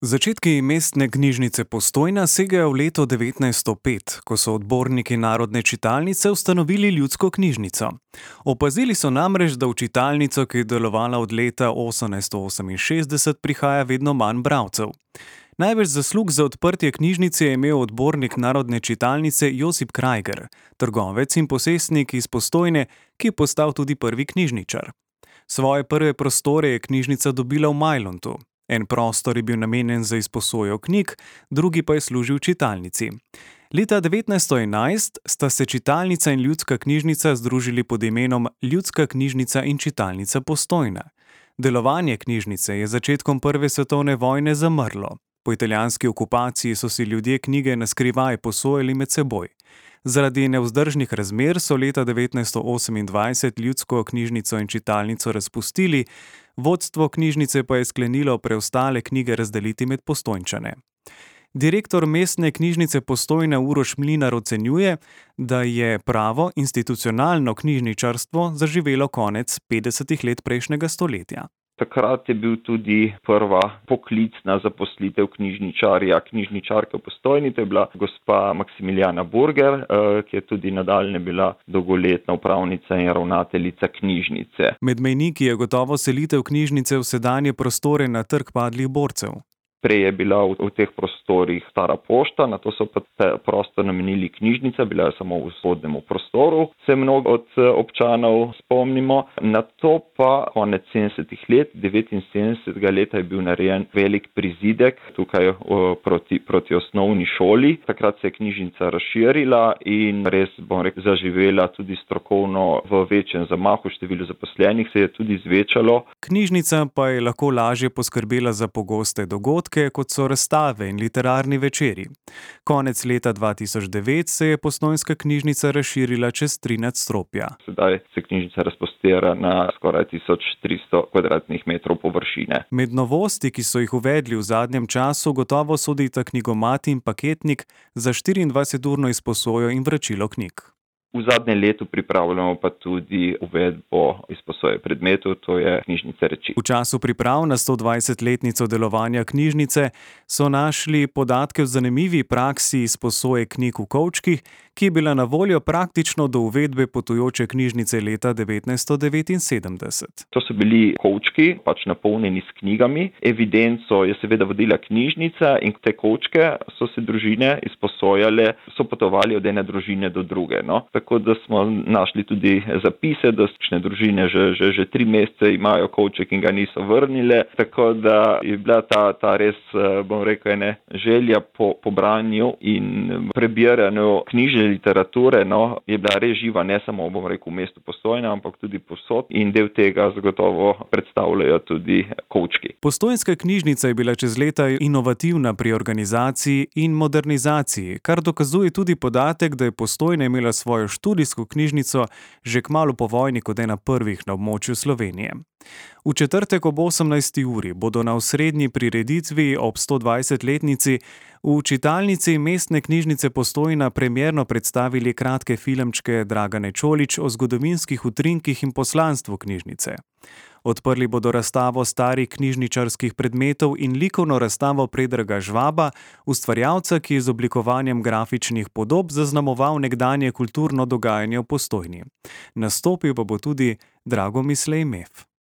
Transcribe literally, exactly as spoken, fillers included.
Začetki mestne knjižnice Postojna segajo v leto devetnajststo pet, ko so odborniki Narodne čitalnice ustanovili ljudsko knjižnico. Opazili so namreč, da v čitalnico, ki je delovala od leta osemnajststo oseminšestdeset, prihaja vedno manj bralcev. Največ zaslug za odprtje knjižnice je imel odbornik Narodne čitalnice Josip Krajger, trgovec in posestnik iz Postojne, ki je postal tudi prvi knjižničar. Svoje prve prostore je knjižnica dobila v Majlontu. En prostor je bil namenjen za izposojo knjig, drugi pa je služil čitalnici. Leta devetnajststo enajst sta se čitalnica in ljudska knjižnica združili pod imenom Ljudska knjižnica in čitalnica Postojna. Delovanje knjižnice je začetkom prve svetovne vojne zamrlo. Po italijanski okupaciji so si ljudje knjige na skrivaj posojali med seboj. Zaradi nevzdržnih razmer so leta devetnajststo osemindvajset ljudsko knjižnico in čitalnico razpustili, vodstvo knjižnice pa je sklenilo preostale knjige razdeliti med Postojnčane. Direktor mestne knjižnice Postojna Uroš Mlinar ocenjuje, da je pravo institucionalno knjižničarstvo zaživelo konec petdesetih let prejšnjega stoletja. Takrat je bil tudi prva poklicna zaposlitev knjižničarja, knjižničarke v Postojni, to je bila gospa Maksimilijana Burger, ki je tudi nadaljne bila dolgoletna upravnica in ravnateljica knjižnice. Med mejniki je gotovo selitev knjižnice v sedanje prostore na Trg padlih borcev. Prej je bila v, v teh prostorih stara pošta, nato so pa prostor namenili knjižnica, bila je samo v spodnjem prostoru, se mnogo od občanov spomnimo. Nato pa konec sedemdesetih let, devetinsedemdesetega leta je bil narejen velik prizidek tukaj o, proti, proti osnovni šoli. Takrat se je knjižnica razširila in res, bom rekel, zaživela tudi strokovno v večjem zamahu, število zaposlenih se je tudi zvečalo. Knjižnica pa je lahko lažje poskrbela za pogoste dogodke, kot so razstave in literarni večeri. Konec leta dva tisoč devet se je postojnska knjižnica razširila čez tri nadstropja. Sedaj se knjižnica razprostira na skoraj tisoč tristo kvadratnih metrov površine. Med novosti, ki so jih uvedli v zadnjem času, gotovo sodita knjigomat in paketnik za štiriindvajseturno izposojo in vračilo knjig. V zadnjem letu pripravljamo pa tudi uvedbo izposoje predmetov, to je knjižnica reči. V času priprav na stodvajsetletnico delovanja knjižnice so našli podatke v zanimivi praksi izposoje knjig v kovčkih, ki je bila na voljo praktično do uvedbe potujoče knjižnice leta devetnajststo devetinsedemdeset. To so bili kovčki, pač napolnjeni s knjigami. Evidenco je seveda vodila knjižnica in te kovčke so se družine izposojale, so potovali od ene družine do druge. No? Tako da smo našli tudi zapise, da kakšne družine že, že, že tri mesece imajo kovček in ga niso vrnile. Tako da je bila ta, ta res, bom rekel, ene želja po, po branju in prebiranju knjižne literature, no, je bila res živa, ne samo, bom rekel, v mestu Postojna, ampak tudi povsod in del tega zagotovo predstavljajo tudi kovčki. Postojnska knjižnica je bila čez leta inovativna pri organizaciji in modernizaciji, kar dokazuje tudi podatek, da je Postojna imela svojo študijsko knjižnico že kmalu po vojni kot ena prvih na območju Slovenije. V četrtek ob osemnajsti uri bodo na osrednji prireditvi ob stodvajsetletnici v čitalnici mestne knjižnice Postojna premierno predstavili kratke filmčke Dragane Čolić o zgodovinskih utrinkih in poslanstvu knjižnice. Odprli bodo razstavo starih knjižničarskih predmetov in likovno razstavo Predraga Žvaba, ustvarjalca, ki je z oblikovanjem grafičnih podob zaznamoval nekdanje kulturno dogajanje v Postojni. Nastopil pa bo tudi Dragomislej Mef.